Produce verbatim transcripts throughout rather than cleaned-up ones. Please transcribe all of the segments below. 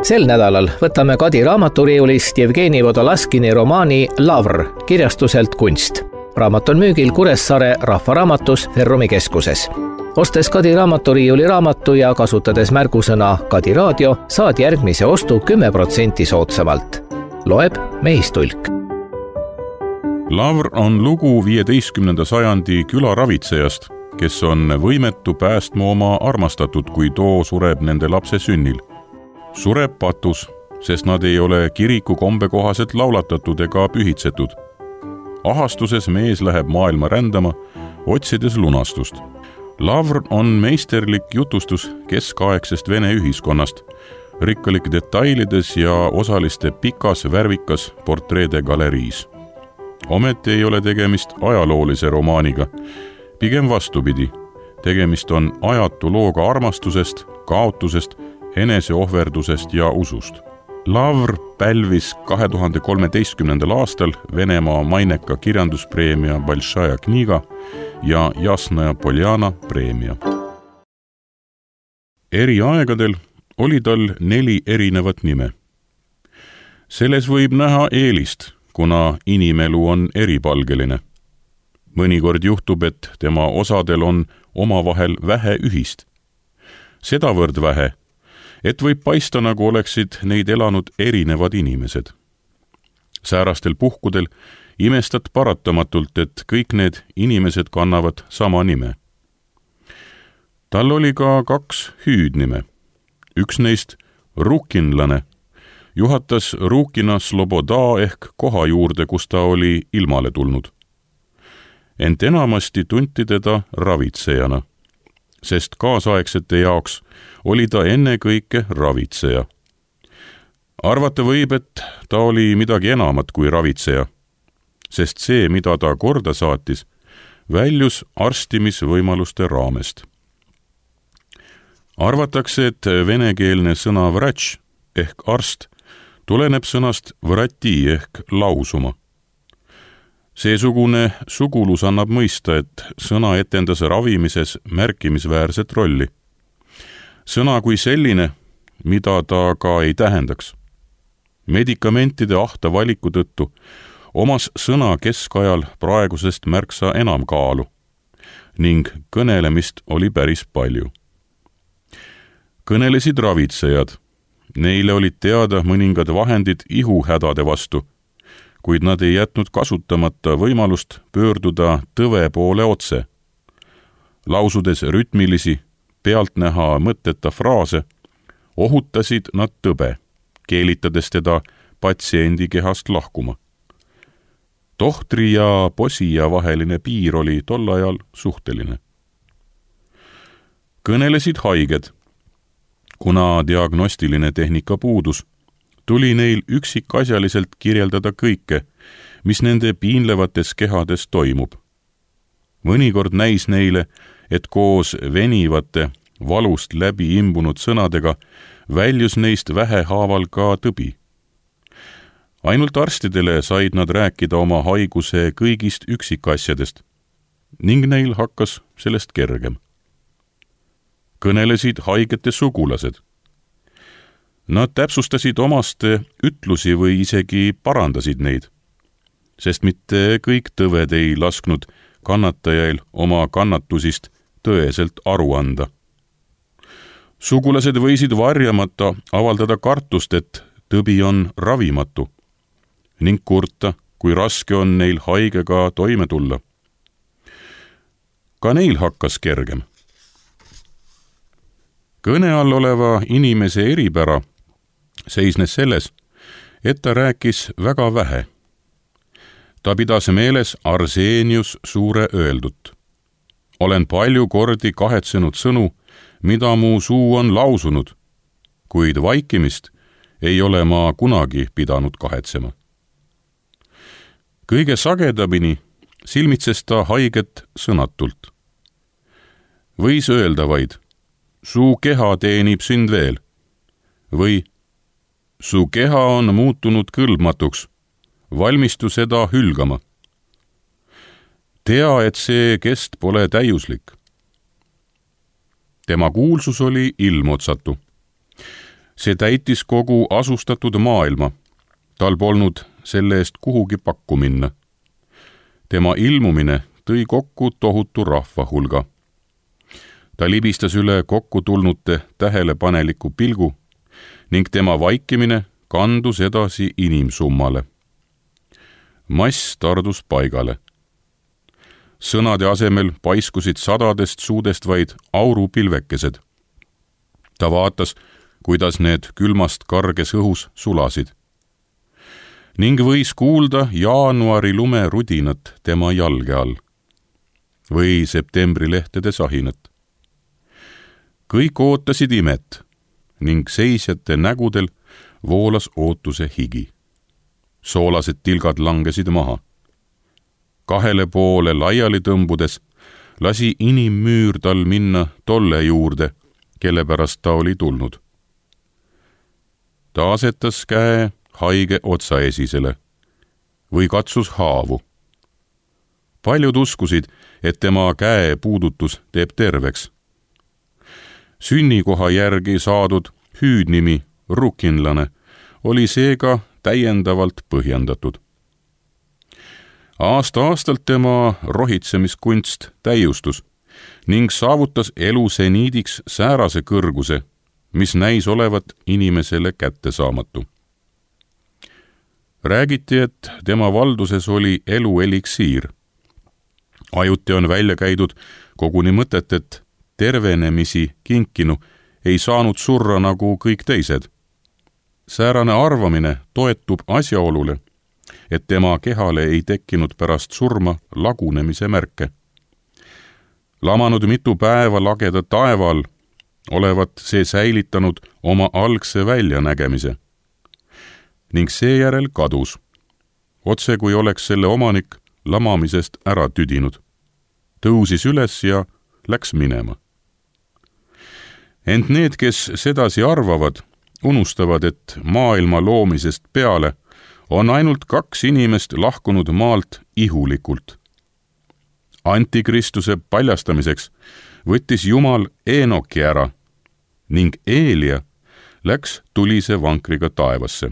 Sel nädalal võtame Kadi raamaturiiulist Jevgeni Vodolaskini romaani Lavr kirjastuselt Kunst. Raamat on müügil Kuressaare Rahvaraamatus Ferrumi keskuses. Ostes Kadi raamaturiiuli raamatu ja kasutades märgusõna Kadi raadio, saad järgmise ostu kümme protsenti soodsamalt. Loeb Mehistulk. Lavr on lugu viieteistkümnenda sajandi külaravitsejast, kes on võimetu päästma oma armastatud, kui too sureb nende lapse sünnil. Sureb patus, sest nad ei ole kiriku kombekohaselt laulatatud ega pühitsetud. Ahastuses mees läheb maailma rändama, otsides lunastust. Lavr on meisterlik jutustus keskaegsest Vene ühiskonnast, rikkalik detailides ja osaliste pikas värvikas portreede galeriis. Ometi ei ole tegemist ajaloolise romaaniga, pigem vastupidi. Tegemist on ajatu looga armastusest, kaotusest, eneseohverdusest ja usust. Lavr pälvis kahe tuhande kolmeteistkümnendal aastal Venemaa maineka kirjanduspreemia Balšaja kniga ja Jasnaja Poljana preemia. Eri aegadel oli tal neli erinevat nime. Selles võib näha eelist, kuna inimelu on eripalgeline. Mõnikord juhtub, et tema osadel on omavahel vähe ühist. Sedavõrd vähe, et võib paista, nagu oleksid neid elanud erinevad inimesed. Säärastel puhkudel imestad paratamatult, et kõik need inimesed kannavad sama nime. Tal oli ka kaks hüüdnime. Üks neist, Rukinlane, juhatas Rukina Sloboda ehk koha juurde, kus ta oli ilmale tulnud. Ent enamasti tunti teda ravitsejana, sest kaasaegsete jaoks oli ta ennekõike ravitseja. Arvata võib, et ta oli midagi enamat kui ravitseja, sest see, mida ta korda saatis, väljus arstimisvõimaluste raamest. Arvatakse, et venekeelne sõna vratš ehk arst tuleneb sõnast vrati ehk lausuma. Seesugune sugulus annab mõista, et sõna etendas ravimises märkimisväärset rolli. Sõna kui selline, mida ta ka ei tähendaks. Medikamentide ahta valiku tõttu omas sõna keskajal praegusest märksa enam kaalu ning kõnelemist oli päris palju. Kõnelesid ravitsejad. Neile olid teada mõningad vahendid ihuhädade vastu, kuid nad ei jätnud kasutamata võimalust pöörduda tõve poole otse. Lausudes rütmilisi, pealtnäha mõtteta fraase, ohutasid nad tõbe, keelitades teda patsiendi kehast lahkuma. Tohtri ja posija vaheline piir oli tol ajal suhteline. Kõnelesid haiged. Kuna diagnostiline tehnika puudus, tuli neil üksikasjaliselt kirjeldada kõike, mis nende piinlevates kehades toimub. Mõnikord näis neile, et koos venivate, valust läbi imbunud sõnadega väljus neist vähehaaval ka tõbi. Ainult arstidele said nad rääkida oma haiguse kõigist üksikasjadest ning neil hakkas sellest kergem. Kõnelesid haigete sugulased. Nad täpsustasid omaste ütlusi või isegi parandasid neid, sest mitte kõik tõved ei lasknud kannatajail oma kannatusist tõeselt aru anda. Sugulased võisid varjamata avaldada kartust, et tõbi on ravimatu ning kurta, kui raske on neil haigega toime tulla. Ka neil hakkas kergem. Kõne all oleva inimese eripära seisnes selles, et ta rääkis väga vähe. Ta pidas meeles Arseenius suure öeldut. Olen palju kordi kahetsenud sõnu, mida mu suu on lausunud, kuid vaikimist ei ole ma kunagi pidanud kahetsema. Kõige sagedamini silmitses ta haiget sõnatult. Võis öelda vaid, su keha teenib sind veel, või su keha on muutunud kõlbmatuks, valmistu seda hülgama. Tea, et see kest pole täiuslik. Tema kuulsus oli ilmotsatu. see täitis kogu asustatud maailma. Tal polnud selle eest kuhugi pakku minna. Tema ilmumine tõi kokku tohutu rahva hulga. Ta libistas üle kokku tulnute tähelepaneliku pilgu ning tema vaikimine kandus edasi inimsummale. Mass tardus paigale. Sõnade asemel paiskusid sadadest suudest vaid aurupilvekesed. Ta vaatas, kuidas need külmast karges õhus sulasid. Ning võis kuulda jaanuari lume rudinat tema jalge all või septembri lehtede sahinat. Kõik ootasid imet ning seisjate nägudel voolas ootuse higi. Soolased tilgad langesid maha. Kahele poole laiali tõmbudes lasi inimmüür tal minna tolle juurde, kelle pärast ta oli tulnud. Ta asetas käe haige otsaesisele või katsus haavu. Paljud uskusid, et tema käe puudutus teeb terveks. Sünnikoha järgi saadud hüüdnimi rukinlane oli seega täiendavalt põhjendatud. Aasta-aastalt tema rohitsemiskunst täiustus ning saavutas elu seniidiks säärase kõrguse, mis näis olevat inimesele kättesaamatu. Räägiti, et tema valduses oli elu eliksiir. Ajuti on välja käidud koguni mõtet, et tervenemisi kinkinu ei saanud surra nagu kõik teised. Säärane arvamine toetub asjaolule, et tema kehale ei tekkinud pärast surma lagunemise märke. Lamanud mitu päeva lageda taeval olevat see säilitanud oma algse väljanägemise ning seejärel kadus, otse kui oleks selle omanik lamamisest ära tüdinud. Tõusis üles ja läks minema. Ent need, kes sedasi arvavad, unustavad, et maailma loomisest peale on ainult kaks inimest lahkunud maalt ihulikult. Antikristuse paljastamiseks võttis Jumal Eenoki ära ning Eelia läks tulise vankriga taevasse.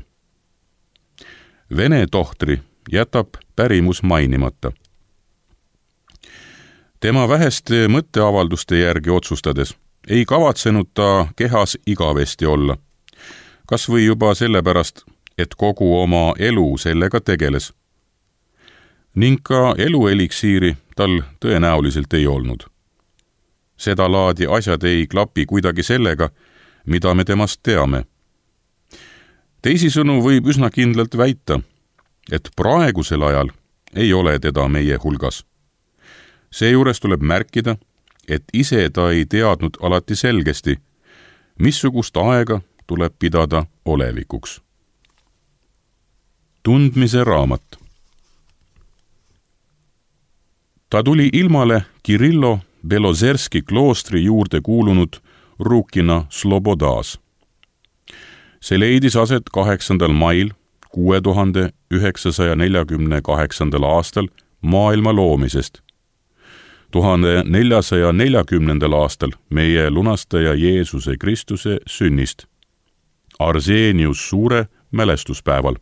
Vene tohtri jätab pärimus mainimata. Tema väheste mõtteavalduste järgi otsustades ei kavatsenud ta kehas igavesti olla, kas või juba sellepärast, et kogu oma elu sellega tegeles. Ning ka elueliksiiri tal tõenäoliselt ei olnud. Seda laadi asjad ei klapi kuidagi sellega, mida me temast teame. Teisisõnu võib üsna kindlalt väita, et praegusel ajal ei ole teda meie hulgas. Seejuures tuleb märkida, et ise ta ei teadnud alati selgesti, missugust aega tuleb pidada olevikuks. Tundmise raamat. Ta tuli ilmale Kirillo Belozerski kloostri juurde kuulunud Rukina Slobodas. See leidis aset kaheksandal mail kuue tuhande üheksasaja neljakümne kaheksandal aastal maailma loomisest, tuhande neljasaja neljakümnendal aastal meie lunastaja Jeesuse Kristuse sünnist, Arseenius suure mälestuspäeval.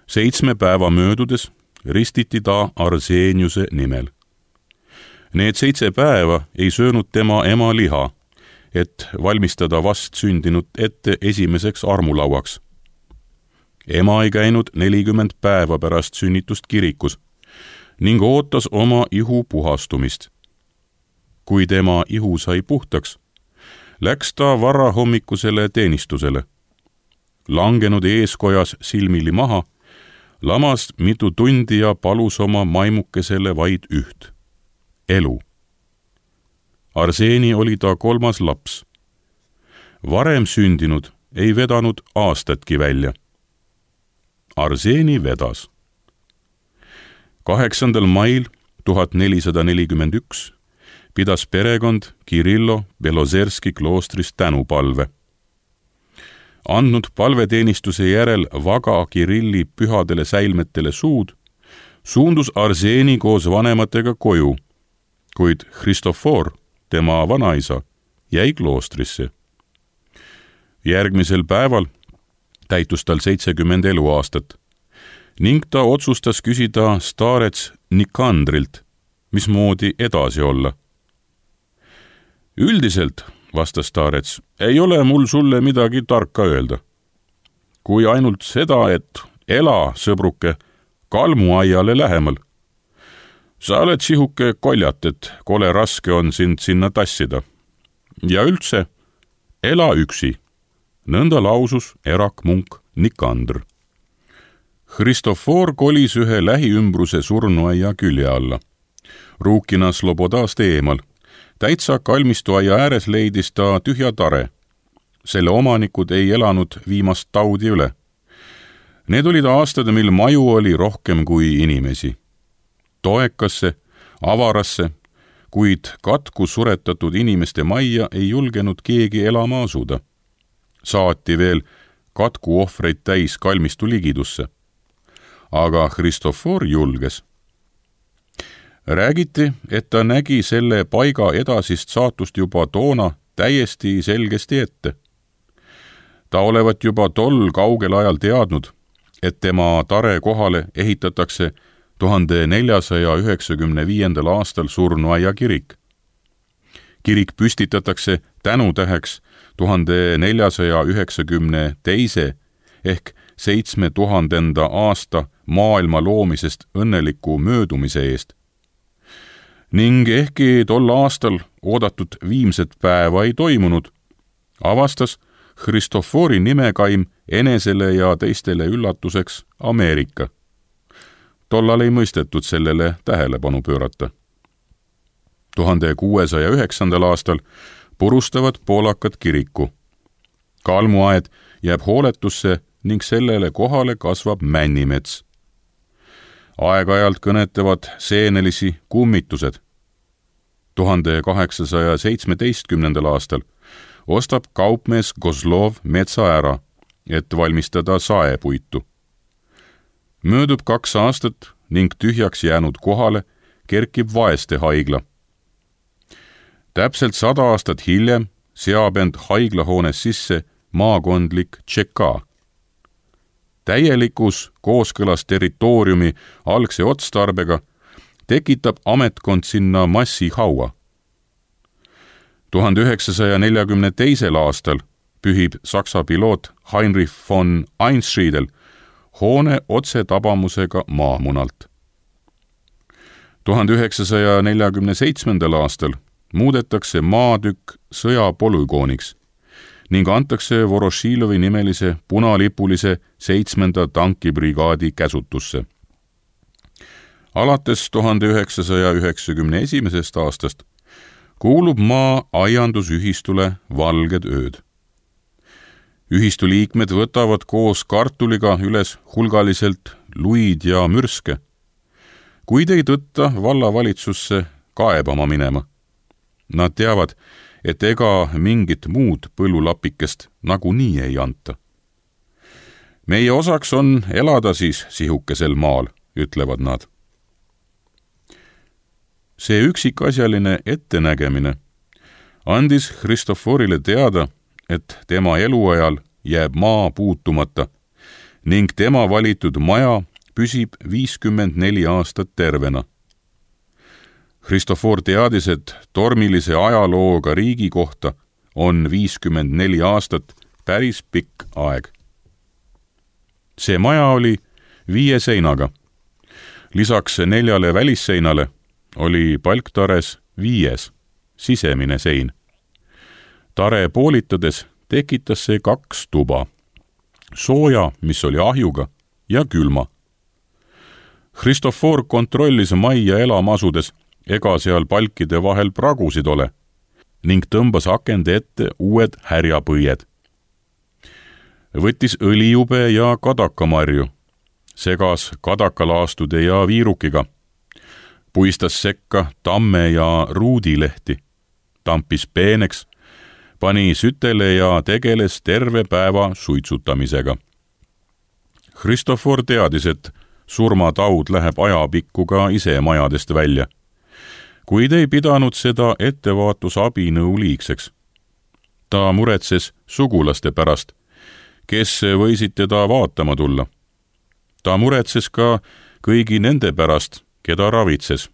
Seitsme päeva möödudes ristiti ta Arseeniuse nimel. Need seitse päeva ei söönud tema ema liha, et valmistada vast sündinud ette esimeseks armulauaks. Ema ei käinud nelikümmend päeva pärast sünnitust kirikus ning ootas oma ihu puhastumist. Kui tema ihu sai puhtaks, läks ta varahommikusele teenistusele. Langenud eeskojas silmili maha, lamas mitu tundi ja palus oma maimukesele vaid üht. Elu. Arseeni oli ta kolmas laps. Varem sündinud ei vedanud aastatki välja. Arseeni vedas. Kaheksandal mail tuhat nelisada nelikümmend üks pidas perekond Kirillo Belozerski kloostris tänupalve. Andnud palveteenistuse järel vaga Kirilli pühadele säilmetele suud, suundus Arseeni koos vanematega koju, kuid Christofor, tema vanaisa, jäi kloostrisse. Järgmisel päeval täitus tal seitsekümmend eluaastat ning ta otsustas küsida staarets Nikandrilt, mismoodi edasi olla. Üldiselt, vastas staarets, ei ole mul sulle midagi tarka öelda. Kui ainult seda, et ela, sõbruke, kalmuaiale lähemal. Sa oled sihuke koljat, et kole raske on sind sinna tassida. Ja üldse, ela üksi. Nõnda lausus erakmunk Nikandr. Hristofor kolis ühe lähiümbruse surnuaia külje alla. Ruukina Slobodast eemal. Täitsa kalmistuaia ääres leidis ta tühja tare. Selle omanikud ei elanud viimast taudi üle. Need olid aastad, mil maju oli rohkem kui inimesi. Toekasse, avarasse, kuid katku suretatud inimeste majja ei julgenud keegi elama asuda. Saati veel katku ohvreid täis kalmistu ligidusse. Aga Hristofor julges. Räägiti, et ta nägi selle paiga edasist saatust juba toona täiesti selgesti ette. Ta olevat juba tol kaugel ajal teadnud, et tema tare kohale ehitatakse tuhande neljasaja üheksakümne viiendal aastal surnuaia kirik. Kirik püstitatakse tänutäheks tuhande neljasaja üheksakümne teise ehk seitsme tuhandenda aasta maailma loomisest õnneliku möödumise eest. Ning ehkki tol aastal oodatud viimset päeva ei toimunud, avastas Hristofori nimekaim enesele ja teistele üllatuseks Ameerika. Tollal ei mõistetud sellele tähelepanu pöörata. tuhande kuuesaja üheksandal aastal purustavad poolakad kiriku. Kalmuaed jääb hooletusse ning sellele kohale kasvab männimets. Aeg-ajalt kõnetavad seenelisi kummitused. tuhande kaheksasaja seitsmeteistkümnendal aastal ostab kaupmees Kozlov metsa ära, et valmistada saepuitu. Möödub kaks aastat ning tühjaks jäänud kohale kerkib vaeste haigla. Täpselt sada aastat hiljem seab end haiglahoones sisse maakondlik Tšeka. Täielikus kooskõlas territooriumi algse otstarbega tekitab ametkond sinna massihaua. tuhande üheksasaja neljakümne teisel aastal pühib Saksa piloot Heinrich von Einschriedel hoone otse tabamusega maamunalt. tuhande üheksasaja neljakümne seitsmendal aastal muudetakse maatükk sõjapolügooniks ning antakse Voroshilovi nimelise punalipulise seitsmenda tankibrigaadi käsutusse. Alates tuhande üheksasaja üheksakümne esimesest aastast kuulub maa aiandusühistule Valged ööd. Ühistu liikmed võtavad koos kartuliga üles hulgaliselt luid ja mürske, kuid ei tõtta vallavalitsusse kaebama minema. Nad teavad, et ega mingit muud põllulapikest nagunii ei anta. Meie osaks on elada siis sihukesel maal, ütlevad nad. See üksikasjaline ettenägemine andis Hristoforile teada, et tema eluajal jääb maa puutumata ning tema valitud maja püsib viiskümmend neli aastat tervena. Hristofor teadis, et tormilise ajalooga riigi kohta on viiskümmend neli aastat päris pikk aeg. See maja oli viie seinaga. Lisaks neljale välisseinale oli palktares viies, sisemine sein. Tare poolitades tekitas see kaks tuba. Sooja, mis oli ahjuga, ja külma. Hristofor kontrollis majja elama asudes, ega seal palkide vahel pragusid ole, ning tõmbas akende ette uued härjapõied. Võttis õlijube ja kadakamarju, segas kadakalaastude ja viirukiga, puistas sekka tamme ja ruudilehti, tampis peeneks, pani sütele ja tegeles terve päeva suitsutamisega. Hristofor teadis, et surmataud läheb ajapikku ka ise majadest välja, kuid ei pidanud seda ettevaatusabinõu liigseks. ta muretses sugulaste pärast, kes võisid teda vaatama tulla. ta muretses ka kõigi nende pärast, keda ravitses,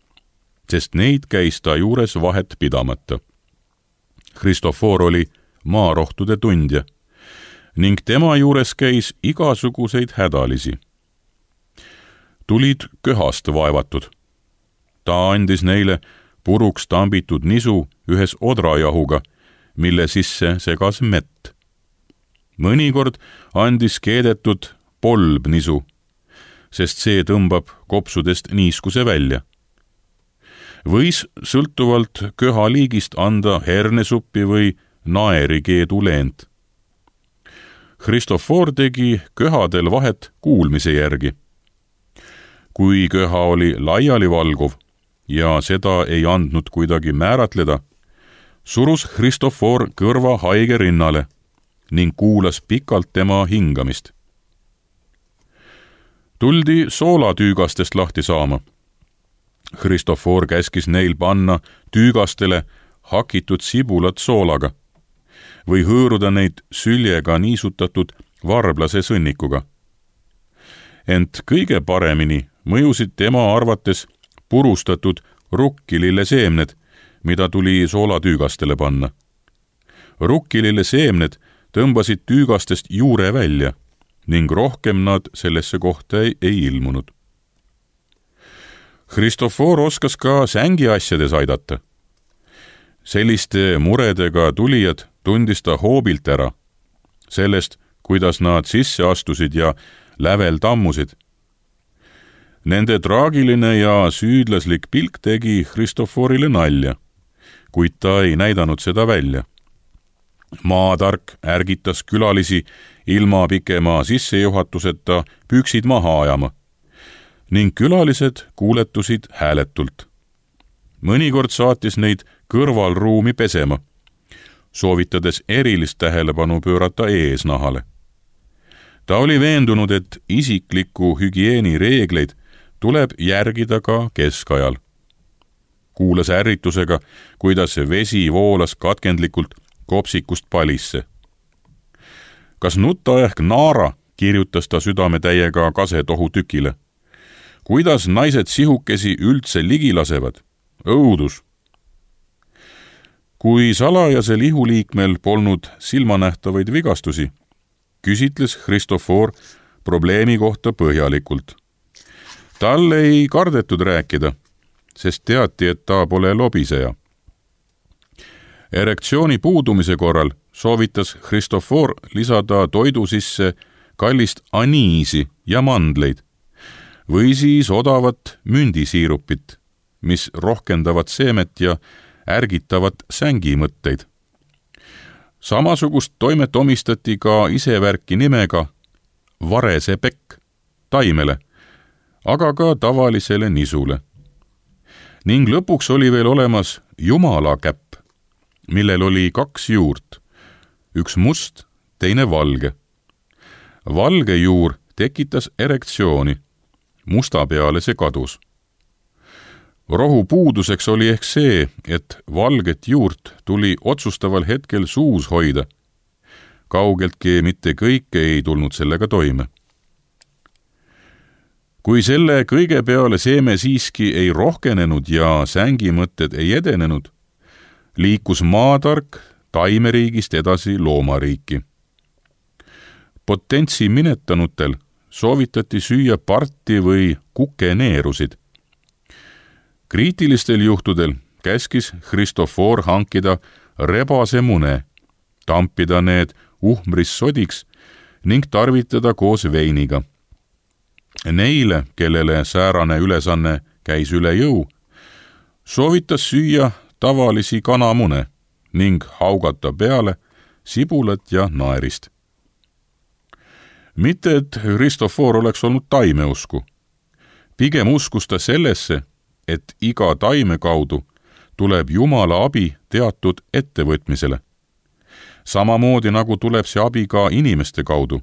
sest neid käis ta juures vahet pidamata. Kristofoor oli maarohtude tundja ning tema juures käis igasuguseid hädalisi. Tulid köhast vaevatud. ta andis neile puruks tambitud nisu ühes odrajahuga, mille sisse segas mett. mõnikord andis keedetud polbnisu, sest see tõmbab kopsudest niiskuse välja. Võis sõltuvalt köha liigist anda hernesuppi või naerikeedu leent. Kristofoor tegi köhadel vahet kuulmise järgi. Kui köha oli laiali valguv ja seda ei andnud kuidagi määratleda, surus Kristofoor kõrva haige rinnale ning kuulas pikalt tema hingamist. Tuldi soolatüügastest lahti saama. Kristofoor käskis neil panna tüügastele hakitud sibulat soolaga või hõõruda neid süljega niisutatud varblase sõnnikuga. Ent kõige paremini mõjusid tema arvates purustatud rukkilille seemned, mida tuli soolatüügastele panna. Rukkilille seemned tõmbasid tüügastest juure välja ning rohkem nad sellesse kohta ei, ei ilmunud. Kristofoor oskas ka sängiasjades aidata. Selliste muredega tulijad tundis ta hoobilt ära, sellest, kuidas nad sisse astusid ja lävel tammusid. Nende traagiline ja süüdlaslik pilk tegi Kristofoorile nalja, kuid ta ei näidanud seda välja. Maatark ärgitas külalisi ilma pikema sissejuhatuseta püksid maha ajama ning külalised kuuletusid hääletult. Mõnikord saatis neid kõrvalruumi pesema, soovitades erilist tähelepanu pöörata eesnahale. Ta oli veendunud, et isikliku hügieeni reegleid tuleb järgida ka keskajal. Kuulas ärritusega, kuidas vesi voolas katkendlikult kopsikust palisse. Kas nutta ehk naara, kirjutas ta südametäiega kasetohu tükile. Kuidas naised sihukesi üldse ligi lasevad? Õudus! Kui salajasel ihuliikmel polnud silmanähtavaid vigastusi, küsitles Kristofoor probleemi kohta põhjalikult. Tal ei kardetud rääkida, sest teati, et ta pole lobiseja. Erektsiooni puudumise korral soovitas Kristofoor lisada toidu sisse kallist aniisi ja mandleid või siis odavat mündisiirupit, mis rohkendavad seemet ja ärgitavad sängimõtteid. Samasugust toimet omistati ka isevärki nimega varese pekk taimele, aga ka tavalisele nisule. Ning lõpuks oli veel olemas Jumala käpp, millel oli kaks juurt, üks must, teine valge. Valge juur tekitas erektsiooni, musta peale see kadus. Rohu puuduseks oli ehk see, et valget juurt tuli otsustaval hetkel suus hoida. Kaugeltki mitte kõik ei tulnud sellega toime. Kui selle kõige peale seeme siiski ei rohkenenud ja sängimõtted ei edenenud, liikus maatark taimeriigist edasi loomariiki. Potentsi minetanutel soovitati süüa parti või kukeneerusid. Kriitilistel juhtudel käskis Kristofoor hankida rebase mune, tampida need uhmris sodiks ning tarvitada koos veiniga. Neile, kellele säärane ülesanne käis üle jõu, soovitas süüa tavalisi kanamune ning haugata peale sibulat ja naerist. Mitte, et Kristofoor oleks olnud taimeusku. Pigem uskus ta sellesse, et iga taime kaudu tuleb Jumala abi teatud ettevõtmisele. Samamoodi nagu tuleb see abi ka inimeste kaudu.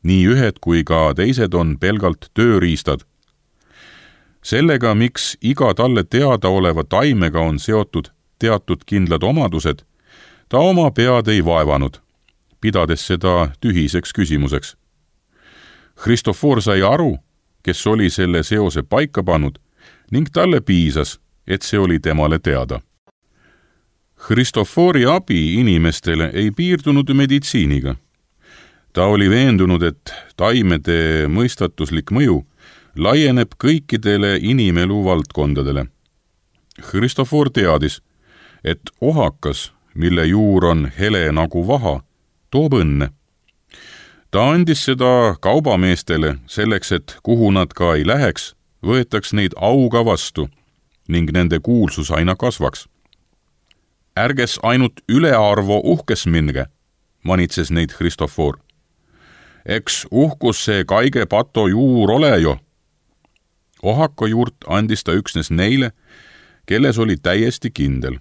Nii ühed kui ka teised on pelgalt tööriistad. Sellega, miks iga talle teada oleva taimega on seotud teatud kindlad omadused, ta oma pead ei vaevanud, pidades seda tühiseks küsimuseks. Christofor sai aru, kes oli selle seose paika pannud, ning talle piisas, et see oli temale teada. Christofori abi inimestele ei piirdunud meditsiiniga. Ta oli veendunud, et taimede mõistatuslik mõju laieneb kõikidele inimelu valdkondadele. Christofor teadis, et ohakas, mille juur on hele nagu vaha, toob õnne. Ta andis seda kaubameestele selleks, et kuhu nad ka ei läheks, võetaks neid auga vastu ning nende kuulsus aina kasvaks. Ärges ainult ülearvo uhkes minge, manitses neid Christofor. Eks uhkus see kaige pato juur ole jo. Ohaka juurt andis ta üksnes neile, kelles oli täiesti kindel.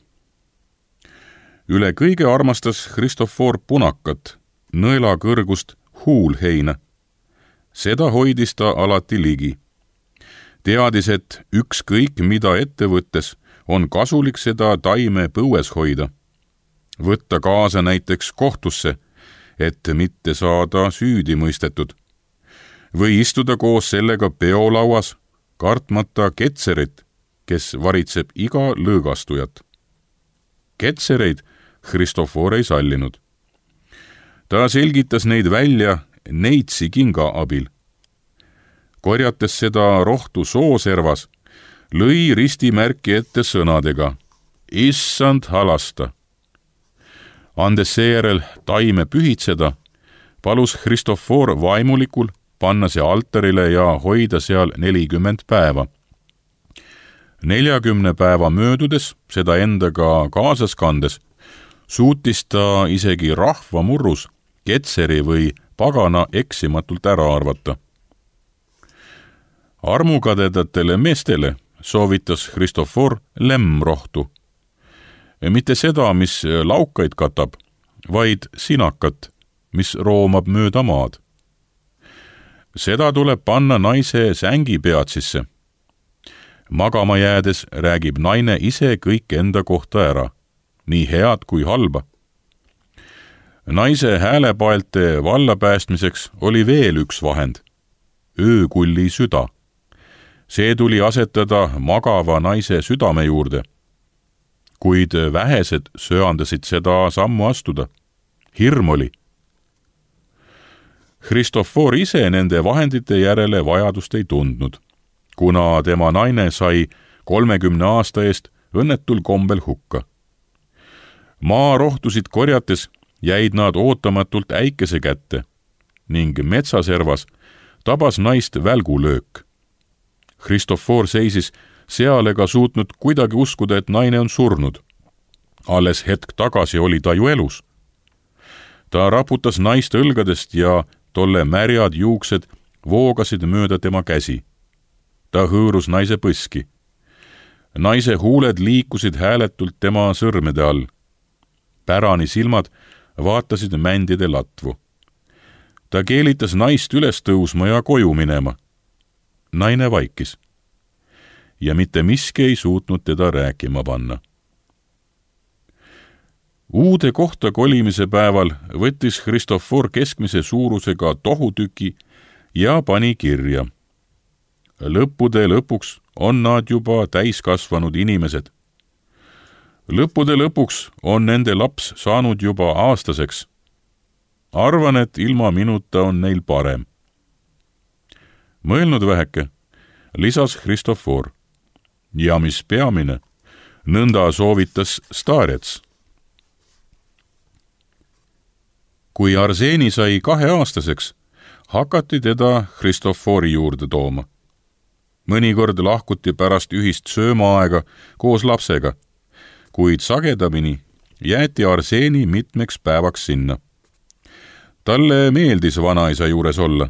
Üle kõige armastas Christofor punakat, nõela kõrgust huulheina. Seda hoidis ta alati ligi. Teadis, et ükskõik mida ette võttes on kasulik seda taime põues hoida. Võtta kaasa näiteks kohtusse, et mitte saada süüdi mõistetud. Või istuda koos sellega peolauas, kartmata ketserit, kes varitseb iga lõõgastujat. Ketsereid Christofor ei sallinud. Ta selgitas neid välja neitsi kinga abil. Korjates seda rohtu sooservas, lõi ristimärki ette sõnadega Issand halasta. Andes seejärel taime pühitseda, palus Christofor vaimulikul panna see altarile ja hoida seal nelikümmend päeva. Neljakümne päeva möödudes, seda endaga kaasas kandes, suutis ta isegi rahva murrus ketseri või pagana eksimatult ära arvata. Armukadedatele meestele soovitas Christofor lemmrohtu. Mitte seda, mis laukaid katab, vaid sinakat, mis roomab mööda maad. Seda tuleb panna naise sängi peatsisse. Magama jäädes räägib naine ise kõik enda kohta ära, nii head kui halba. Naise häälepaelte vallapäästmiseks oli veel üks vahend, öökulli süda. See tuli asetada magava naise südame juurde, kuid vähesed söandasid seda sammu astuda. Hirm oli. Christofor ise nende vahendite järele vajadust ei tundnud, kuna tema naine sai kolmekümne aasta eest õnnetul kombel hukka. Maarohtusid korjates jäid nad ootamatult äikese kätte ning metsaservas tabas naist välgulöök. Christofor seisis seal ega suutnud kuidagi uskuda, et naine on surnud. Alles hetk tagasi oli ta ju elus. Ta raputas naist õlgadest ja tolle märjad juuksed voogasid mööda tema käsi. Ta hõõrus naise põski. Naise huuled liikusid hääletult tema sõrmede all. Pärani silmad vaatasid mändide latvu. Ta keelitas naist üles tõusma ja koju minema. Naine vaikis. Ja mitte miski ei suutnud teda rääkima panna. Uude kohta kolimise päeval võttis Christofor keskmise suurusega tohutüki ja pani kirja. Lõppude lõpuks on nad juba täiskasvanud inimesed. Lõppude lõpuks on nende laps saanud juba aastaseks. Arvan, et ilma minuta on neil parem. Mõelnud väheke, lisas Christofor. Ja mis peamine, nõnda soovitas Starets. Kui Arseeni sai kaheaastaseks, hakati teda Christofori juurde tooma. Mõnikord lahkuti pärast ühist söömaaega koos lapsega, kuid sagedamini jäeti Arseeni mitmeks päevaks sinna. Talle meeldis vanaisa juures olla.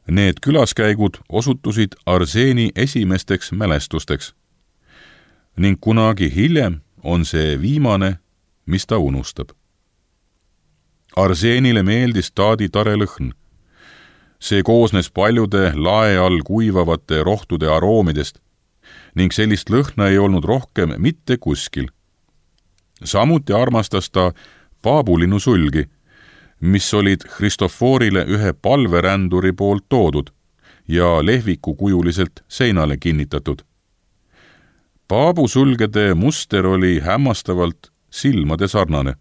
Need külaskäigud osutusid Arseeni esimesteks mälestusteks. Ning kunagi hiljem on see viimane, mis ta unustab. Arseenile meeldis taadi tare lõhn. See koosnes paljude lae all kuivavate rohtude aroomidest ning sellist lõhna ei olnud rohkem mitte kuskil. Samuti armastas ta paabulinnu sulgi, mis olid Kristoforile ühe palveränduri poolt toodud ja lehviku kujuliselt seinale kinnitatud. Paabusulgede muster oli hämmastavalt silmade sarnane.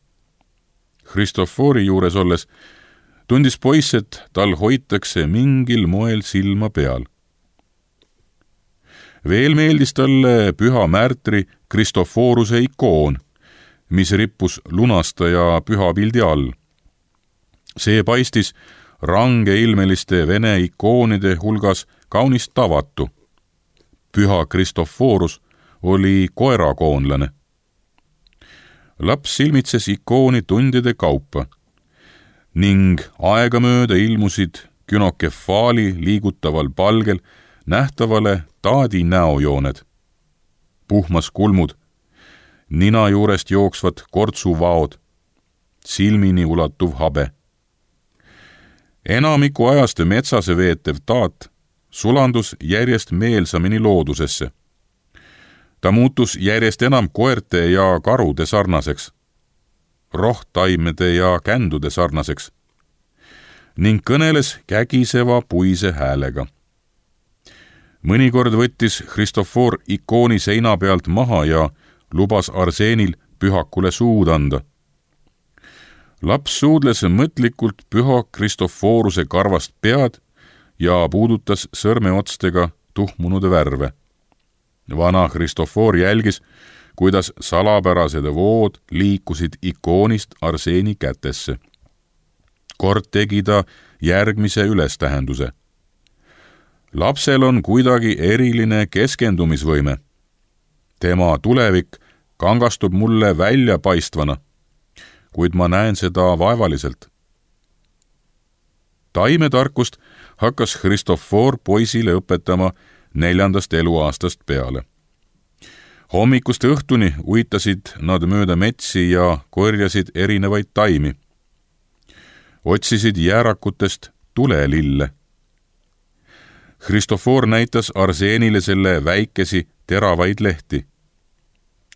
Kristofori juures olles tundis poiss, et tal hoitakse mingil moel silma peal. Veel meeldis talle püha märtri Kristoforuse ikoon, mis rippus lunastaja pühapildi all. See paistis rangeilmeliste vene ikoonide hulgas kaunist tavatu. Püha Kristoforus oli koerakoonlane. Laps silmitses ikooni tundide kaupa ning aegamööda ilmusid künokefaali liigutaval palgel nähtavale taadi näojooned, puhmas kulmud, nina juurest jooksvad kortsuvaod, silmini ulatuv habe. Enamiku ajast metsase veetev taat sulandus järjest meelsamini loodusesse. Ta muutus järjest enam koerte ja karude sarnaseks, rohtaimede ja kändude sarnaseks ning kõneles kägiseva puise häälega. Mõnikord võttis Kristofor ikooni seina pealt maha ja lubas Arseenil pühakule suud anda. Laps suudles mõtlikult püha Kristoforuse karvast pead ja puudutas sõrmeotstega tuhmunud värve. Vana Kristofor jälgis, kuidas salapärased vood liikusid ikoonist Arseeni kätesse. Kord tegi ta järgmise ülestähenduse. Lapsel on kuidagi eriline keskendumisvõime. Tema tulevik kangastub mulle väljapaistvana, kuid ma näen seda vaevaliselt. Taimetarkust hakkas Kristofor poisile õpetama neljandast eluaastast peale. Hommikust õhtuni uitasid nad mööda metsi ja korjasid erinevaid taimi. Otsisid jäärakutest tulelille. Kristofor näitas Arseenile selle väikesi teravaid lehti.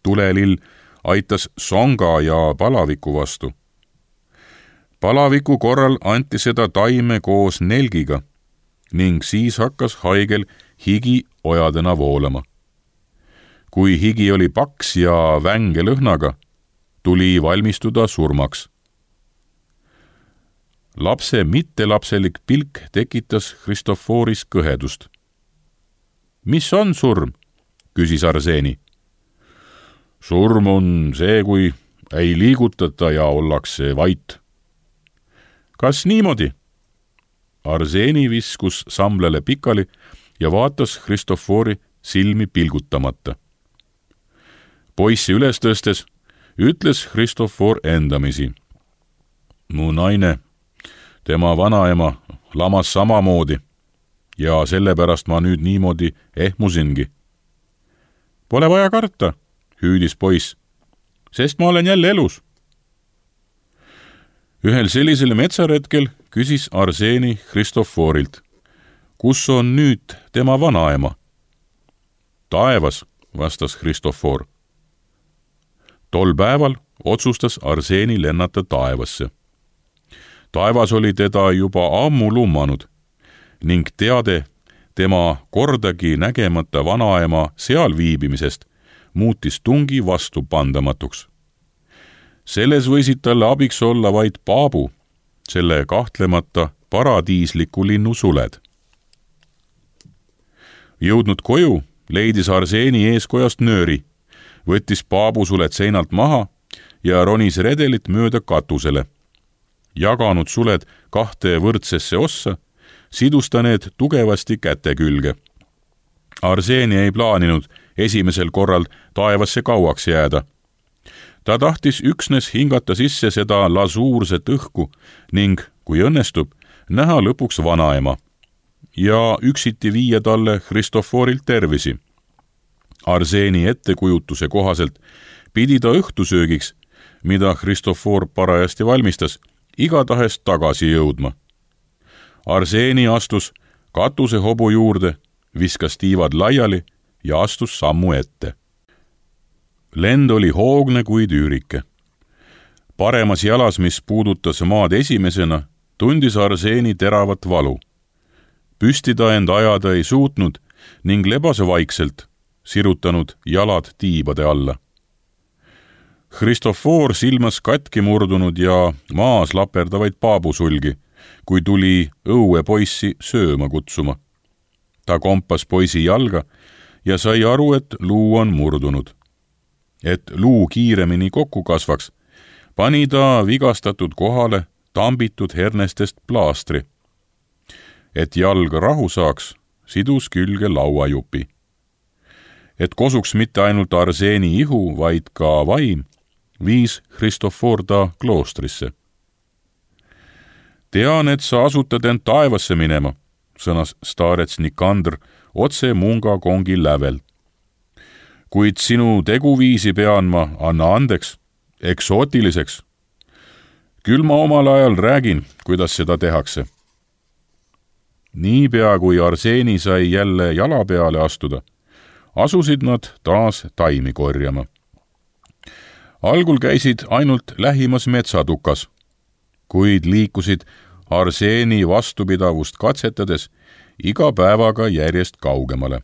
Tulelill aitas songa ja palaviku vastu. Palaviku korral anti seda taime koos nelgiga ning siis hakkas haigel higi ojadena voolama. Kui higi oli paks ja vänge lõhnaga, tuli valmistuda surmaks. Lapse mittelapselik pilk tekitas Kristoforis kõhedust. Mis on surm? Küsis Arseeni. Surm on see, kui ei liigutata ja ollakse vait. Kas niimoodi? Arseeni viskus samblele pikali ja vaatas Kristofori silmi pilgutamata. Poissi üles tõstes ütles Kristofor endamisi. Mu naine, tema vanaema, lamas samamoodi ja sellepärast ma nüüd niimoodi ehmusingi. Pole vaja karta, hüüdis poiss, sest ma olen jälle elus. Ühel sellisel metsaretkel küsis Arseeni Kristoforilt, kus on nüüd tema vanaema? Taevas, vastas Kristofor. Tol päeval otsustas Arseeni lennata taevasse. Taevas oli teda juba ammu lummanud ning teade tema kordagi nägemata vanaema seal viibimisest muutis tungi vastupandamatuks. Selles võisid talle abiks olla vaid paabu, selle kahtlemata paradiisliku linnu suled. Jõudnud koju, leidis Arseeni eeskojast nööri, võttis paabusuled seinalt maha ja ronis redelit mööda katusele. Jaganud suled kahte võrdsesse ossa, sidus ta need tugevasti käte külge. Arseeni ei plaaninud esimesel korral taevasse kauaks jääda. Ta tahtis üksnes hingata sisse seda lasuurset õhku ning, kui õnnestub, näha lõpuks vanaema ja üksiti viia talle Kristoforilt tervisi. Arseeni ettekujutuse kohaselt pidi ta õhtusöögiks, mida Kristofor parajasti valmistas, igatahes tagasi jõudma. Arseeni astus katuse hobu juurde, viskas tiivad laiali ja astus sammu ette. lend oli hoogne kui tüürike. Paremas jalas, mis puudutas maad esimesena, tundis Arseeni teravat valu. Püsti ta end ajada ei suutnud ning lebase vaikselt, sirutanud jalad tiibade alla. Christofor silmas katki murdunud ja maas laperdavaid paabusulgi, kui tuli õue poissi sööma kutsuma. Ta kompas poisi jalga ja sai aru, et luu on murdunud. Et luu kiiremini kokku kasvaks, pani ta vigastatud kohale tambitud hernestest plaastri. Et jalg rahu saaks, sidus külge lauajupi. Et kosuks mitte ainult Arseeni ihu, vaid ka vaim, viis Christofor ta kloostrisse. Tean, et sa asutad end taevasse minema, sõnas staarets Nikandr otse munga kongi lävel. Kuid sinu teguviisi pean ma, anna andeks, eksootiliseks. Küll ma omal ajal räägin, kuidas seda tehakse. Niipea kui Arseeni sai jälle jala peale astuda, asusid nad taas taimi korjama. Algul käisid ainult lähimas metsatukas, kuid liikusid Arseeni vastupidavust katsetades iga päevaga järjest kaugemale.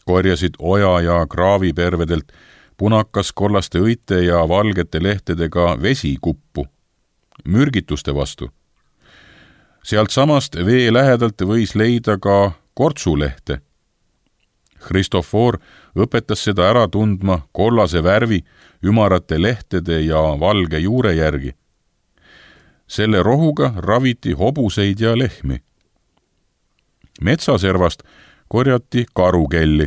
Korjasid oja ja kraavipervedelt punakas kollaste õite ja valgete lehtedega vesikuppu, mürgituste vastu. Sealt samast vee lähedalt võis leida ka kortsulehte. Christofor õpetas seda ära tundma kollase värvi, ümarate lehtede ja valge juure järgi. Selle rohuga raviti hobuseid ja lehmi. Metsaservast korjati karukelli,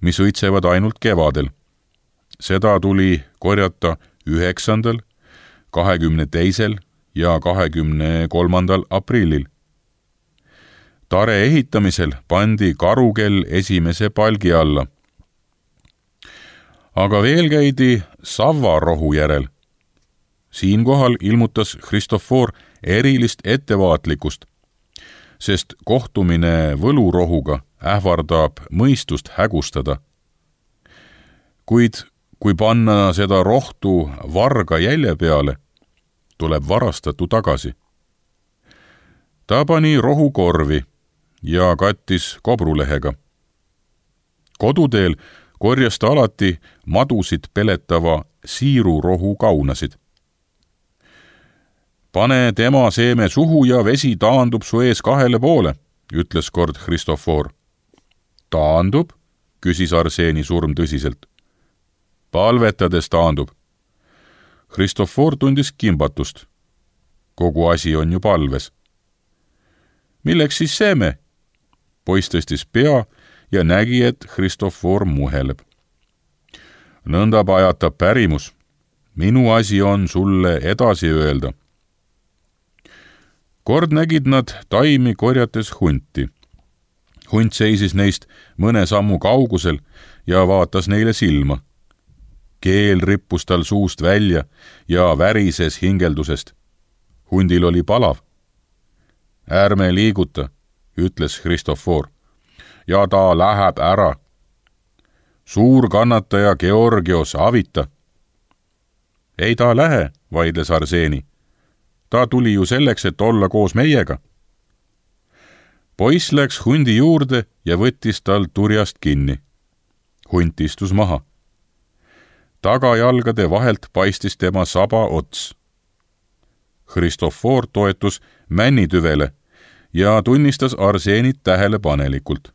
mis õitsevad ainult kevadel. Seda tuli korjata üheksandal, kahekümne teisel ja kahekümne kolmandal aprillil. Tare ehitamisel pandi karukell esimese palgi alla. Aga veel käidi savvarohu järel. Siinkohal ilmutas Christofor erilist ettevaatlikkust, sest kohtumine võlurohuga ähvardab mõistust hägustada. Kuid kui panna seda rohtu varga jälje peale, tuleb varastatu tagasi. Ta pani rohu korvi ja kattis kobrulehega. Koduteel korjas ta alati madusid peletava siirurohu kaunasid. Pane tema seeme suhu ja vesi taandub su ees kahele poole, ütles kord Christofor. Taandub, küsis Arseeni surm tõsiselt. Palvetades taandub. Christofor tundis kimbatust. Kogu asi on ju palves. Milleks siis seeme? Poiss tõstis pea ja nägi, et Christofor muheleb. Nõnda pajatab pärimus. Minu asi on sulle edasi öelda. Kord nägid nad taimi korjates hunti. Hunt seisis neist mõne sammu kaugusel ja vaatas neile silma. Keel rippus tal suust välja ja värises hingeldusest. Hundil oli palav. Ärme liiguta, ütles Christofor, ja ta läheb ära. Suur kannataja Georgios avita. Ei ta lähe, vaidles Arseeni. Ta tuli ju selleks, et olla koos meiega. Poiss läks hundi juurde ja võttis tal turjast kinni. Hunt istus maha. Tagajalgade vahelt paistis tema saba ots. Christofor toetus männitüvele ja tunnistas Arseenit tähelepanelikult.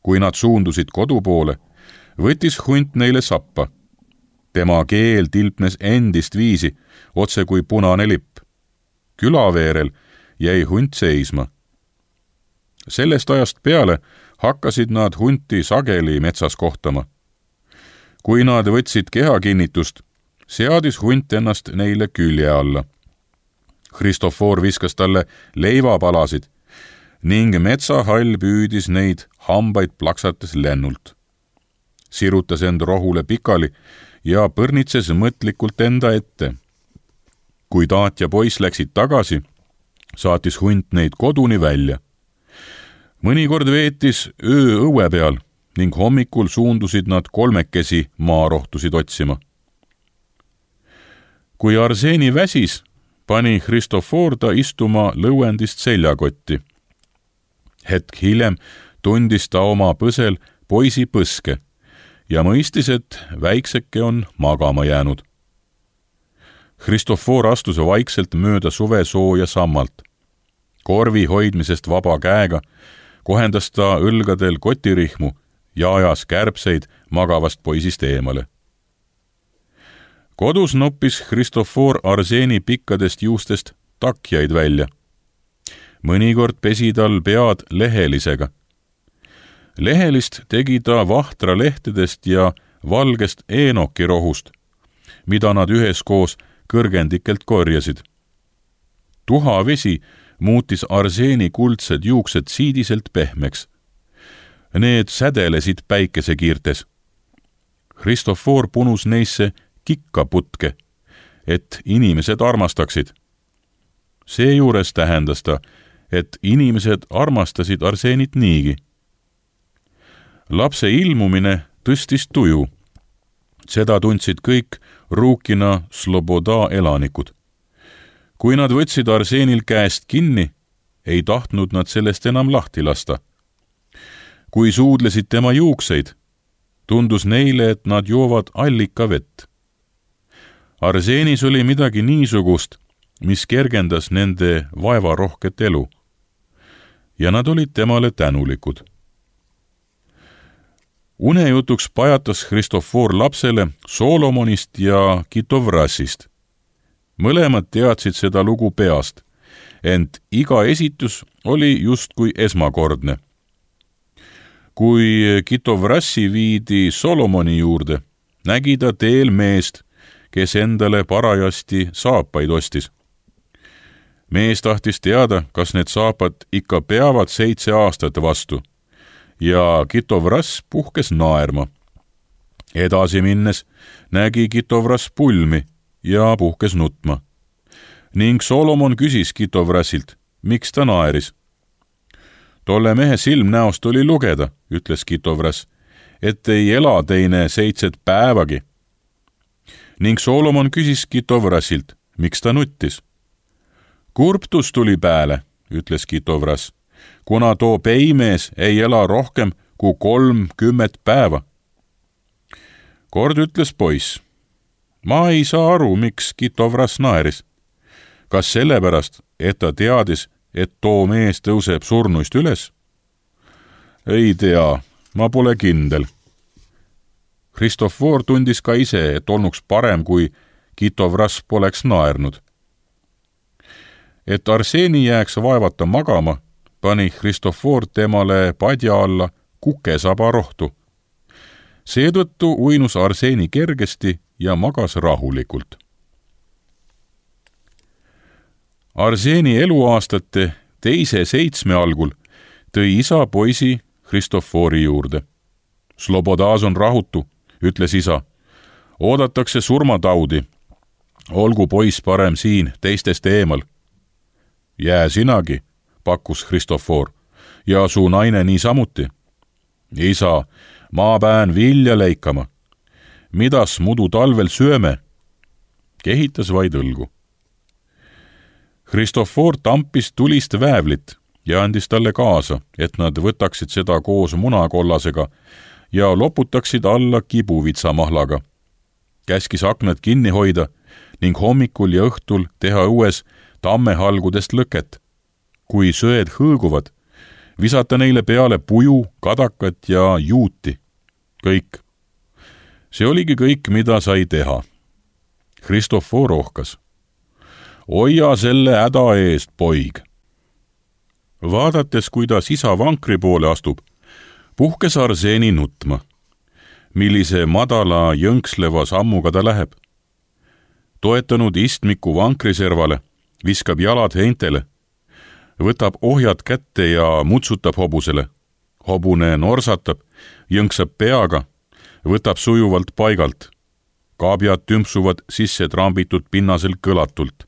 Kui nad suundusid kodu poole, võttis hunt neile sappa. Tema keel tilpnes endist viisi, otse kui punane lipp. Külaveerel jäi hunt seisma. Sellest ajast peale hakkasid nad hunti sageli metsas kohtama. Kui nad võtsid kehakinnitust, seadis hunt ennast neile külje alla. Christofor viskas talle leivapalasid ning metsahall püüdis neid hambaid plaksates lennult. Sirutas end rohule pikali ja põrnitses mõtlikult enda ette. Kui taat ja poiss läksid tagasi, saatis hunt neid koduni välja. Mõnikord veetis öö õue peal ning hommikul suundusid nad kolmekesi maarohtusid otsima. Kui Arseeni väsis, pani Christophor ta istuma lõuendist seljakotti. Hetk hiljem tundis ta oma põsel poisi põske ja mõistis, et väikseke on magama jäänud. Christophor astus vaikselt mööda suvesooja sammalt. Korvi hoidmisest vaba käega kohendas ta õlgadel kotirihmu ja ajas kärbseid magavast poisist eemale. Kodus noppis Christophor Arseeni pikkadest juustest takjaid välja. Mõnikord pesi tal pead lehelisega. Lehelist tegi ta vahtra lehtedest ja valgest eenokirohust, mida nad üheskoos kõrgendikelt korjasid. Tuhavesi muutis Arseeni kuldsed juuksed siidiselt pehmeks. Need sädelesid päikesekiirtes. Christophor punus neisse kikkaputke, et inimesed armastaksid. Seejuures tähendas ta, et inimesed armastasid Arseenit niigi. Lapse ilmumine tõstis tuju. Seda tundsid kõik Ruukina Sloboda elanikud. Kui nad võtsid Arseenil käest kinni, ei tahtnud nad sellest enam lahti lasta. Kui suudlesid tema juukseid, tundus neile, et nad joovad allikavett. Arseenis oli midagi niisugust, mis kergendas nende vaevarohket elu. Ja nad olid temale tänulikud. Unejutuks pajatas Christophor lapsele Solomonist ja Kitovrasist. Mõlemad teadsid seda lugu peast, ent iga esitus oli justkui esmakordne. Kui Kitovrassi viidi Solomoni juurde, nägi ta teel meest, kes endale parajasti saapaid ostis. Mees tahtis teada, kas need saapad ikka peavad seitse aastat vastu, ja Kitovrass puhkes naerma. Edasi minnes nägi Kitovrass pulmi ja puhkes nutma. Ning Solomon küsis Kitovrasilt, miks ta naeris. Tolle mehe silmnäost oli lugeda, ütles Kitovrass, et ei ela teine seitset päevagi. Ning Solomon küsis Kitovrasilt, miks ta nuttis. Kurptus tuli pääle, ütles Kitovrass, kuna too peimees ei ela rohkem kui kolmkümmet päeva. Kord ütles poiss, ma ei saa aru, miks Kitovrass naeris. Kas sellepärast, et ta teadis, et too mees tõuseb surnuist üles? Ei tea, ma pole kindel. Christophor tundis ka ise, et olnuks parem, kui Kitovrass poleks naernud. Et Arseeni jääks vaevata magama, pani Christophor temale padja alla kukesaba rohtu. Seetõttu uinus Arseeni kergesti ja magas rahulikult. Arseeni eluaastate teise seitsme algul tõi isa poisi Christophori juurde. Slobodas on rahutu, ütles isa. Oodatakse surmataudi. Olgu poiss parem siin, teistest eemal. Jää sinagi, pakkus Christophor, ja su naine nii samuti. Isa, ma pään vilja leikama. Midas mudu talvel syöme? Kehitas vaid õlgu. Christophor tampis tulist väävlit ja andis talle kaasa, et nad võtaksid seda koos munakollasega ja loputaksid alla kibuvitsamahlaga. Käskis aknad kinni hoida ning hommikul ja õhtul teha õues tammehalgudest lõket. Kui söed hõõguvad, visata neile peale puju, kadakat ja juuti. Kõik. See oligi kõik, mida sai teha. Christophor rohkas. Oia selle häda eest, poig. Vaadates, kuidas isa vankri poole astub, puhkes Arseeni nutma. Millise madala jõnksleva sammuga ta läheb. Toetanud istmiku vankriservale, viskab jalad heintele, võtab ohjad kätte ja mutsutab hobusele. Hobune norsatab, jõnksab peaga, võtab sujuvalt paigalt. Kaabjad tümpsuvad sisse trambitud pinnasel kõlatult.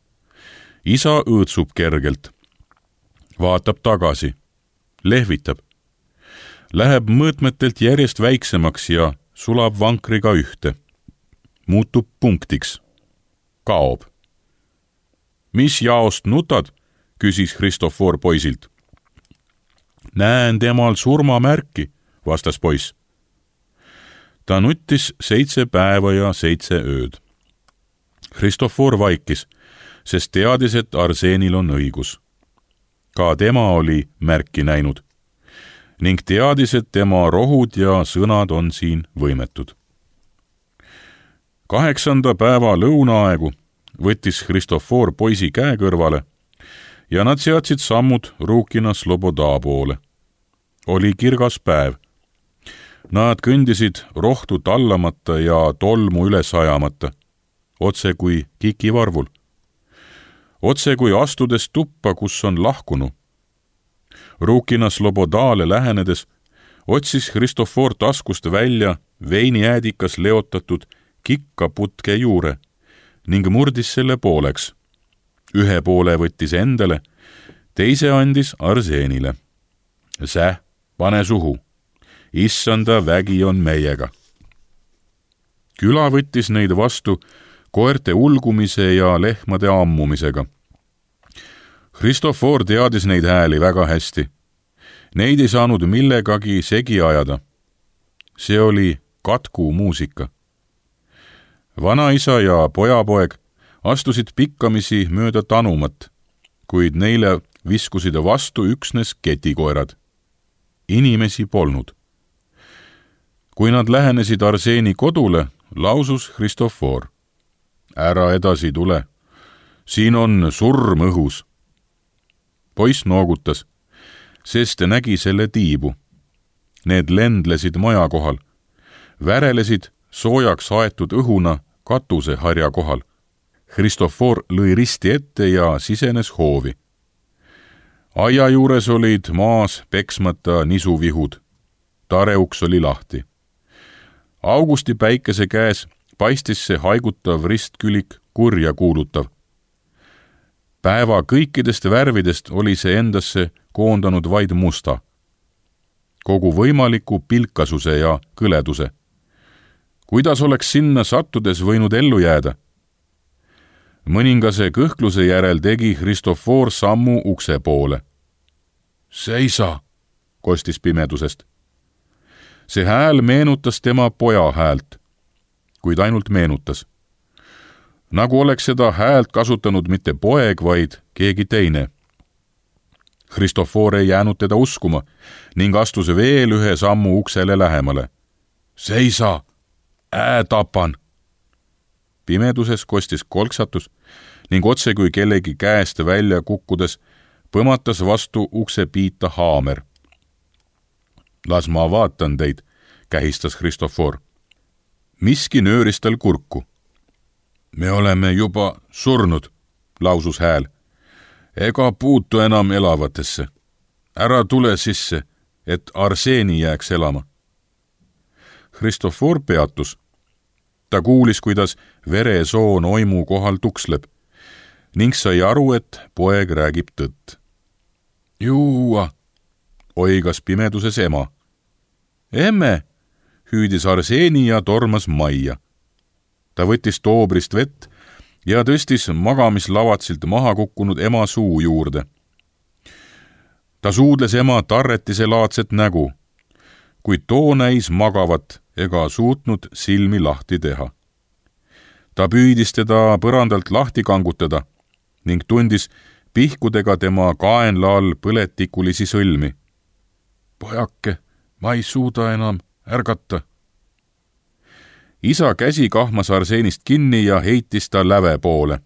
Isa õõtsub kergelt. Vaatab tagasi. Lehvitab. läheb mõõtmetelt järjest väiksemaks ja sulab vankriga ühte. Muutub punktiks. Kaob. Mis jaost nutad? Küsis Kristofor poisilt. Näen temal surmamärki, vastas poiss. Ta nuttis seitse päeva ja seitse ööd. Kristofor vaikis, sest teadis, et Arseenil on õigus. Ka tema oli märki näinud ning teadis, et tema rohud ja sõnad on siin võimetud. Kaheksanda päeva lõunaaegu võttis Kristofor poisi käe kõrvale ja nad seadsid sammud Rukina Sloboda poole. Oli kirgas päev. Nad kõndisid rohtu tallamata ja tolmu üles ajamata, otse kui kikivarvul. Otse kui astudes tuppa, kus on lahkunu. Rukina Slobodale lähenedes otsis Kristofor taskust välja veinijäädikas leotatud kikkaputke juure ning murdis selle pooleks. Ühe poole võttis endale, teise andis Arseenile. Säh, pane suhu. Issanda vägi on meiega. Küla võttis neid vastu koerte ulgumise ja lehmade ammumisega. Kristofor teadis neid hääli väga hästi. Neid ei saanud millegagi segi ajada. See oli katku muusika. Vanaisa ja pojapoeg astusid pikkamisi mööda tanumat, kuid neile viskusid vastu üksnes ketikoerad. Inimesi polnud. Kui nad lähenesid Arseeni kodule, lausus Kristofor. Ära edasi tule. Siin on surm õhus. Poiss noogutas, sest nägi selle tiibu. Need lendlesid maja kohal. Värelesid soojaks aetud õhuna katuse harja kohal. Kristofor lõi risti ette ja sisenes hoovi. Aia juures olid maas peksmata nisuvihud. Tareuks oli lahti. Augusti päikese käes paistis see haigutav ristkülik kurja kuulutav. Päeva kõikidest värvidest oli see endasse koondanud vaid musta. Kogu võimaliku pilkasuse ja kõleduse. Kuidas oleks sinna sattudes võinud ellu jääda? Mõningase kõhkluse järel tegi Kristofor sammu ukse poole. Seisa, kostis pimedusest. See hääl meenutas tema poja häält, kuid ainult meenutas. Nagu oleks seda häält kasutanud mitte poeg, vaid keegi teine. Kristofor ei jäänud teda uskuma ning astus veel ühe sammu uksele lähemale. Seisa, ää tapan! Pimeduses kostis kolksatus ning otse kui kellegi käest välja kukkudes põmatas vastu ukse piita haamer. Las ma vaatan teid, kähistas Kristofor. Miski nööris tal kurku. Me oleme juba surnud, lausus hääl. Ega puutu enam elavatesse. Ära tule sisse, et Arseeni jääks elama. Kristofor peatus. Ta kuulis, kuidas veresoon oimu kohal tuksleb ning sai aru, et poeg räägib tõtt. Juua, oigas pimeduses ema. Emme, hüüdis Arseeni ja tormas majja. Ta võttis toobrist vett ja tõstis magamislavatsilt maha kukkunud ema suu juurde. Ta suudles ema tarretise laadset nägu, kuid too näis magavat ega suutnud silmi lahti teha. Ta püüdis teda põrandalt lahti kangutada ning tundis pihkudega tema kaenla all põletikulisi sõlmi. Pojake, ma ei suuda enam ärgata. Isa käsi kahmas Arseenist kinni ja heitis ta läve poole.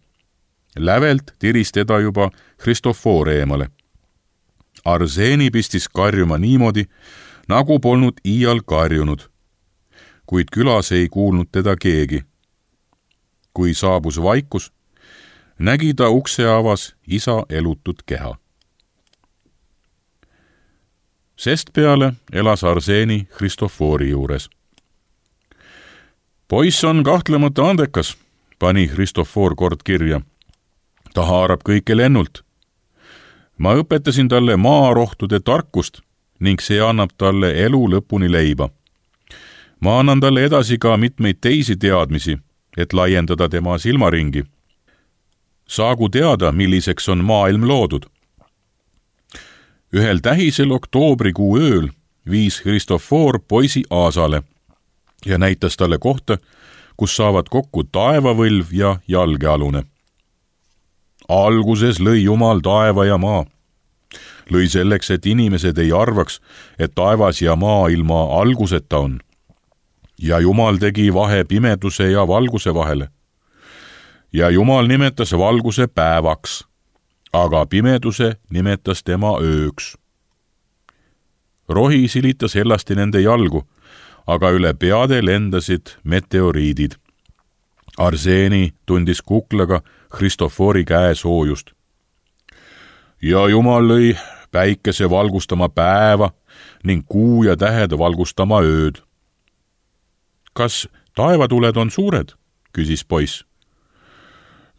Lävelt tiris teda juba Kristofor eemale. Arseeni pistis karjuma niimoodi, nagu polnud iial karjunud, kuid külas ei kuulnud teda keegi. Kui saabus vaikus, nägi ta ukse avas isa elutud keha. Sest peale elas Arseeni Kristofori juures. Poiss on kahtlemata andekas, pani Kristofor kord kirja. Ta haarab kõike lennult. Ma õpetasin talle maarohtude tarkust ning see annab talle elu lõpuni leiba. Ma annan talle edasi ka mitmeid teisi teadmisi, et laiendada tema silmaringi. Saagu teada, milliseks on maailm loodud. Ühel tähisel oktoobrikuu ööl viis Kristofor poisi Aasale ja näitas talle kohta, kus saavad kokku taevavõlv ja jalgealune. Alguses lõi Jumal taeva ja maa. Lõi selleks, et inimesed ei arvaks, et taevas ja maa ilma alguseta on. Ja Jumal tegi vahe pimeduse ja valguse vahele. Ja Jumal nimetas valguse päevaks, aga pimeduse nimetas tema ööks. Rohi silitas hellasti nende jalgu, aga üle peade lendasid meteoriidid. Arseeni tundis kuklaga Kristofori käe soojust. Ja Jumal lõi päikese valgustama päeva ning kuu ja tähed valgustama ööd. Kas taevatuled on suured? Küsis poiss.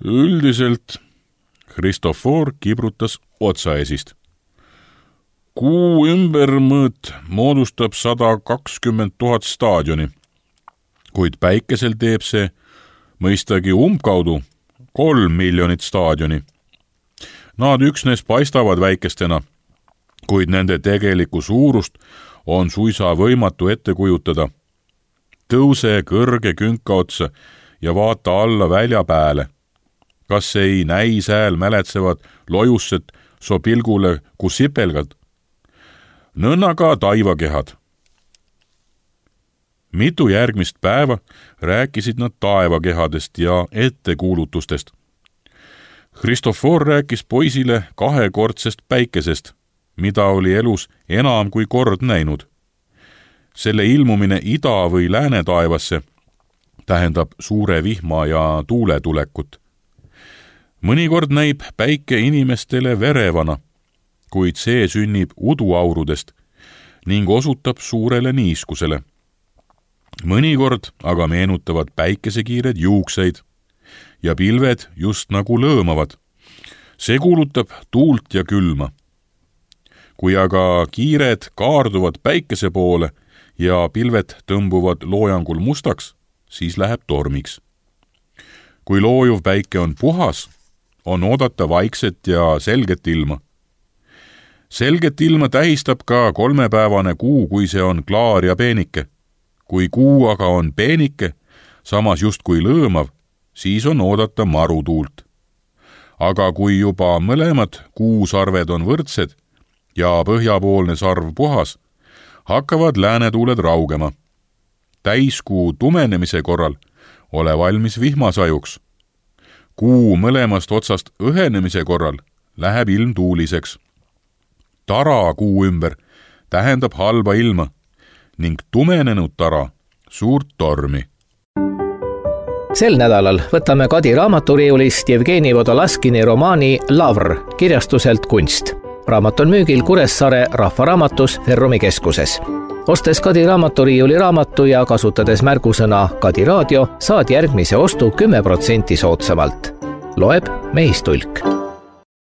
Üldiselt Kristofor kibrutas otsaesist. Kuu ümbermõõt moodustab sada kakskümmend tuhat staadioni, kuid päikesel teeb see mõistagi umbkaudu kolm miljonit staadioni. Nad üksnes paistavad väikestena, kuid nende tegelikku suurust on suisa võimatu ette kujutada. Tõuse kõrge künka otsa ja vaata alla välja pääle. Kas ei näi sääl mäletsevad lojusset so pilgule kui sipelgad? Nõnnaga taivakehad. Mitu järgmist päeva rääkisid nad taevakehadest ja ettekuulutustest. Kristofor rääkis poisile kahekordsest päikesest, mida oli elus enam kui kord näinud. Selle ilmumine ida- või lääne taevasse tähendab suure vihma ja tuule tulekut. Mõnikord näib päike inimestele verevana, kuid see sünnib uduaurudest ning osutab suurele niiskusele. Mõnikord aga meenutavad päikesekiired juukseid ja pilved just nagu lõõmavad. See kuulutab tuult ja külma. Kui aga kiired kaarduvad päikese poole ja pilved tõmbuvad loojangul mustaks, siis läheb tormiks. Kui loojuv päike on puhas, on oodata vaikset ja selget ilma. Selget ilma tähistab ka kolmepäevane kuu, kui see on klaar ja peenike. Kui kuu aga on peenike, samas just kui lõõmav, siis on oodata marutuult. Aga kui juba mõlemad kuusarved on võrdsed ja põhjapoolne sarv puhas, hakkavad läänetuuled raugema. Täiskuu tumenemise korral ole valmis vihmasajuks. Kuu mõlemast otsast õhenemise korral läheb ilm tuuliseks. Tara kuu ümber tähendab halba ilma ning tumenenud tara suurt tormi. Sel nädalal võtame Kadi raamaturiiulist Jevgeni Vodolaskini romaani Lavr kirjastuselt Kunst. Raamat on müügil Kuressaare Rahvaraamatus Ferrumi keskuses. Ostes Kadi raamaturiiuli raamatu ja kasutades märgusõna Kadi raadio, saad järgmise ostu kümme protsenti soodsamalt. Loeb Mehistulk.